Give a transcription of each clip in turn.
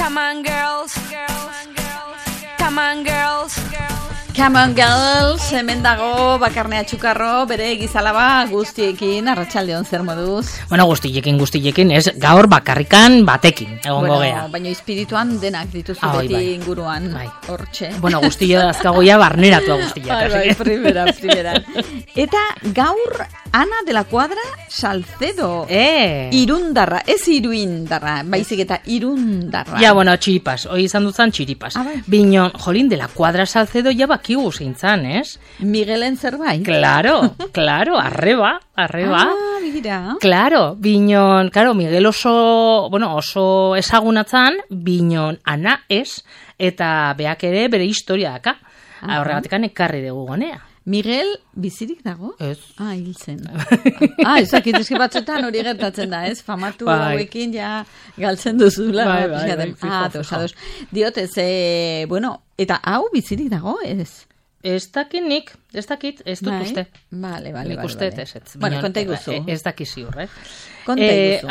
Come on girls, come on girls. Come on girls, hemen dago Bakarnea Txukarro, bere gizalaba guztiekin, arratsaldeon zer moduz? Bueno, guztiekin, ez gaur bakarrikan batekin, egongo gea. Baina espirituan denak dituzu beti inguruan, hortxe. Bueno, guztio azkagoia barneratua guztia. Bai, primera. Eta gaur Ana de la Cuadra Salcedo. Irundarra, ez iruindarra, baizik eta irundarra. Ja, bueno, txiripas, hoi izan dutzen txiripas. Binon, jolín, de la Cuadra Salcedo ja bakigu zeintzan, ez? Miguelen zerbait? Claro, arreba. Mira. Claro, binon, Miguel oso ezagunatzan, binon Ana ez, eta beak ere bere historia daka. Horregatikan ekarri dugu gonea. Miguel bizirik dago? Ez. Hil zen. Ezakit, eski batzutan hori gertatzen da, ez? Famatu hauekin ja galtzen duzula. Bai. Ados. Diot, ez, eta hau bizirik dago, ez? Ez dakit, ez dut uste. Vale. Nik uste, ez. Bueno, konta iguzu. Ez daki ziur, Konta iguzu.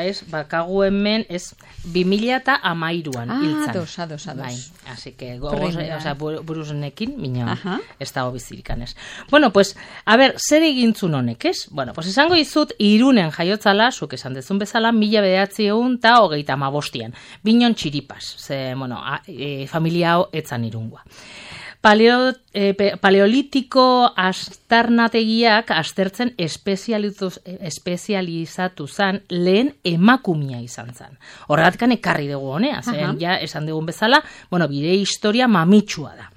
Ez, bakagu hemen, ez, 2013an hiltzan. Ados. Bai, así que, buruzenekin, mina, ez dago bizirikan, ez. Bueno, pues, a ver, zer egintzun honek, ez? Bueno, pues, esango izut, Irunen jaiotzala, zuk esan dezun bezala, 1935an, Binon txiripas, ze, familia hau etzan Irungoa. Paleolitiko astarnategiak aztertzen espezializatu zan lehen emakumia izan zan. Horregatikan ekarri dugu honea, zen ja esan dugun bezala, bire historia mamitsua da.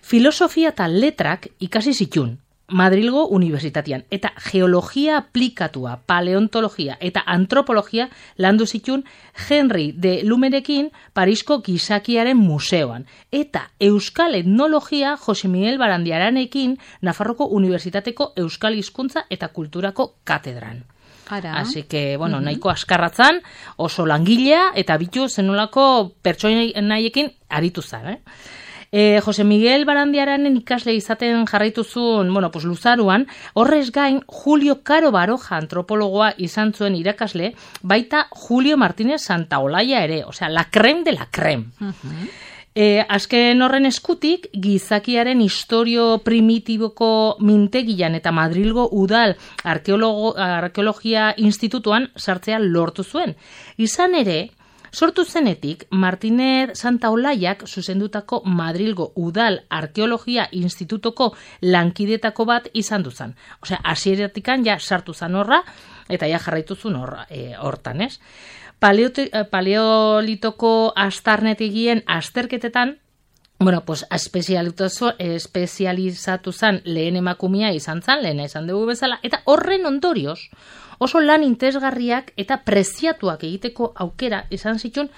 Filosofia eta letrak ikasi zitun, Madrilgo Unibertsitatean, eta geologia aplikatua, paleontologia eta antropologia landu zitun Henry de Lumerekin Parisko Gizakiaren Museoan, eta euskal etnologia Jose Miguel Barandiaranekin Nafarroko Unibertsitateko Euskal Hizkuntza eta Kulturako katedran. Así que, nahiko askarratzan, oso langilea eta bitu zenolako pertsonaiekin aritu zan, Jose Miguel Barandiaranen ikasle izaten jarraituzun, luzaruan, horrez gain Julio Caro Baroja antropologoa izan zuen irakasle, baita Julio Martínez Santaolalla ere, osea, la creme de la creme. Azken horren eskutik, gizakiaren historio primitiboko mintegian eta Madrilgo Udal Arkeologia Institutuan sartzea lortu zuen. Izan ere, sortu zenetik, Martínez Santaolallak zuzendutako Madrilgo Udal Arkeologia Institutoko lankidetako bat izan duzan. Osea, hasieratikan ja sartu zan horra, eta ja jarraituzun hortan, ez? Paleolitoko astarnetegien azterketetan, espezializatu zan lehen emakumia izan zan, lehena izan dugu bezala, eta horren ondorioz, oso lan interesgarriak eta preziatuak egiteko aukera izan zituen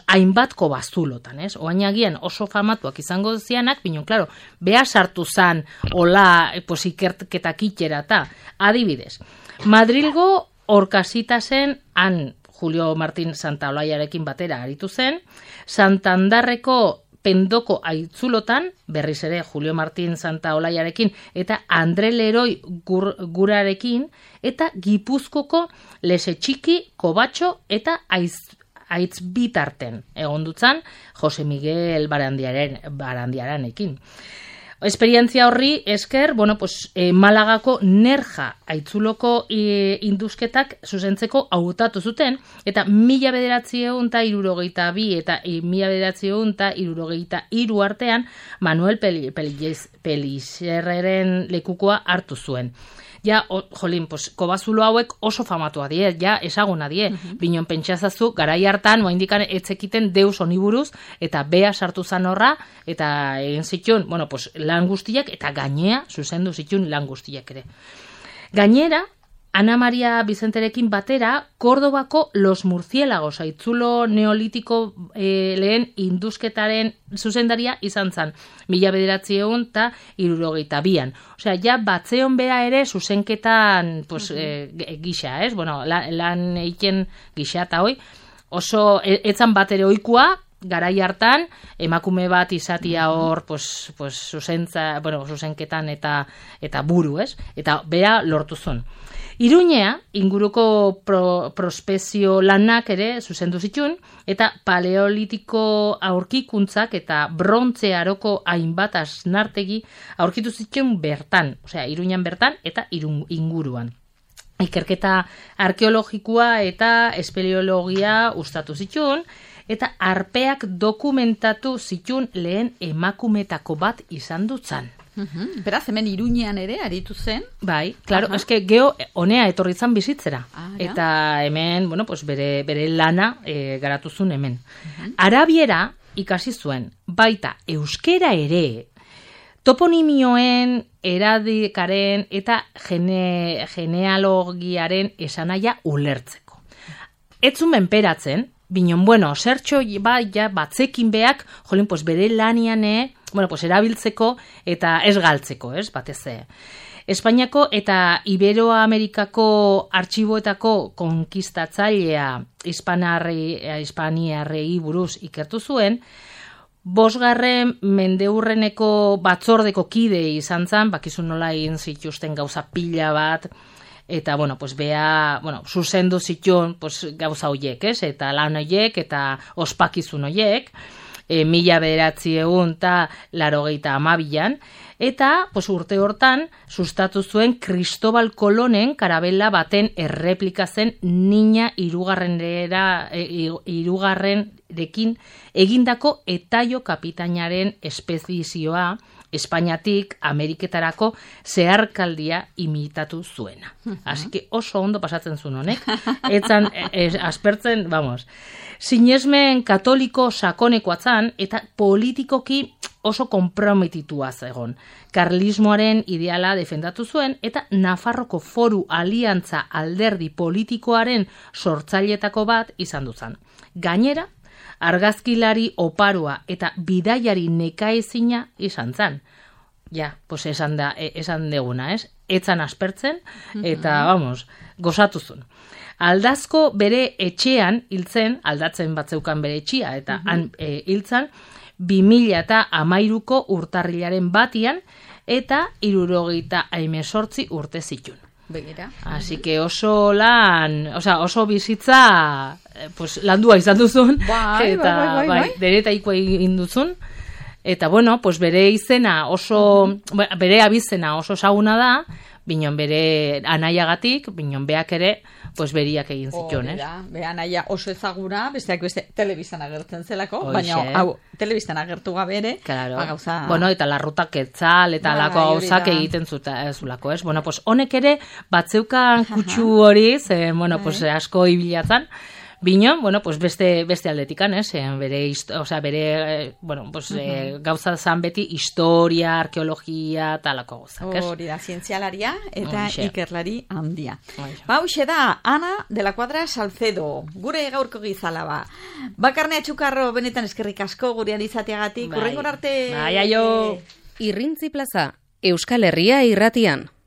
hainbatko bazulotan, ez? Oain agian oso famatuak izango zianak, binon, klaro, beha sartu zan hola ikerketak itxera eta adibidez. Madrilgo Orkasitasen han Julio Martín Santaolallarekin batera aritu zen, Santandarreko Pendoko aitzulotan, berriz ere Julio Martín Santaolallarekin eta Andre Leroi Gurarekin, eta Gipuzkoko Lesetxiki, Kobatxo eta Aitzbitarten egondutzan Jose Miguel Barandiaranekin. Esperientzia horri esker, Malagako Nerja aitzuloko induzketak zuzentzeko hautatu zuten, eta 1962 eta 1963 artean Manuel Pelixerreren lekukoa hartu zuen. Ja, kobazulo hauek oso famatua die, ja, esaguna die. Binon pentsazazu, garai hartan, moindikan etzekiten deus oniburuz, eta bea sartu zan horra, eta egin zituen, lan guztiak, eta gainea, zuzendu zituen lan guztiak ere. Gainera, Ana Maria Bizenterekin batera, Kordobako Los Murciélagos aitzulo neolitiko lehen induzketaren zuzendaria izan zan, 1962an. Osea, ja batzeon bera ere zuzenketan gisa, ez? Lan eiken gisa eta hoi, oso etzan bat ere oikua, garai hartan, emakume bat izatia hor, zuzenketan eta buru, ez? Eta bera lortu zuen. Iruñea, inguruko prospezio lanak ere zuzendu zituen, eta paleolitiko aurkikuntzak eta brontze aroko hainbat asnartegi aurkitu zituen bertan, osea, Iruñan bertan eta inguruan. Ikerketa arkeologikoa eta espeleologia ustatu zituen, eta arpeak dokumentatu zituen lehen emakumetako bat izan dutzan. Beraz, hemen Iruñean ere aritu zen? Bai, claro, eske geho honea etorri zan bizitzera. Eta hemen, bere lana garatu zuen hemen. Arabiera ikasi zuen, baita euskera ere, toponimioen, eradikaren eta genealogiaren esanaia ulertzeko. Etzun menperatzen, binon, zertxo batzekin beak, bere lanian erabiltzeko eta ez galtzeko, ez, batez. Espainiako eta Iberoamerikako artxiboetako konkistatzailea hispaniarrei buruz ikertu zuen, 5. mendeurreneko batzordeko kide izan zan, bakizun nola egin zituzten gauza pila bat, eta, zuzendu zituen gauza hoiek, ez? Eta lan hoiek, eta ospakizun hoiek, 1982an, eta, urte hortan, sustatu zuen Cristobal Colonen karabela baten erreplika zen Niña hirugarrenekin egindako Etaio kapitainaren espedizioa Espainiatik Ameriketarako zeharkaldia imitatu zuena. Así que oso ondo pasatzen zuen honek. Etzan, aspertzen, sinesmen katoliko sakonekoa zan, eta politikoki oso konprometitua zegon. Karlismoaren ideala defendatu zuen, eta Nafarroko Foru Aliantza alderdi politikoaren sortzailetako bat izan duzan. Gainera, argazkilari oparoa eta bidaiari nekaezina izan zan. Esan deguna, ez? Etzan aspertzen, eta, gozatu zuen. Aldazko bere etxean hiltzen, aldatzen batzeukan bere etxia, eta han hiltzan, 2013ko urtarrilaren batian, eta 78 urte zituen. Begira. Así que oso bizitza landua izan duzun, eta deretaiko egin duzun, eta bere izena bere abizena oso saguna da, binon bere anaiagatik, binon beak ere, beriak egin zituen, ez? Be anaia oso ezaguna, besteak beste telebistan agertzen zelako, baina hau telebistan agertu gabe ere, gauza... eta larrutak etzal, eta alako gauzak egiten zulako, ez? Honek ere, batzeukan kutsu hori, asko ibilatzen, Bino, beste aldetikan, ez? Gauza zan beti historia, arkeologia, talako gauzak, ez? Hori da, zientzialaria eta ikerlari handia. Hauxe da, Ana de la Cuadra Salcedo, gure gaurko gizala ba. Bakarne Atxukarro benetan eskerrik asko gurean izateagatik, urrengor arte... Irrintzi Plaza, Euskal Herria irratian.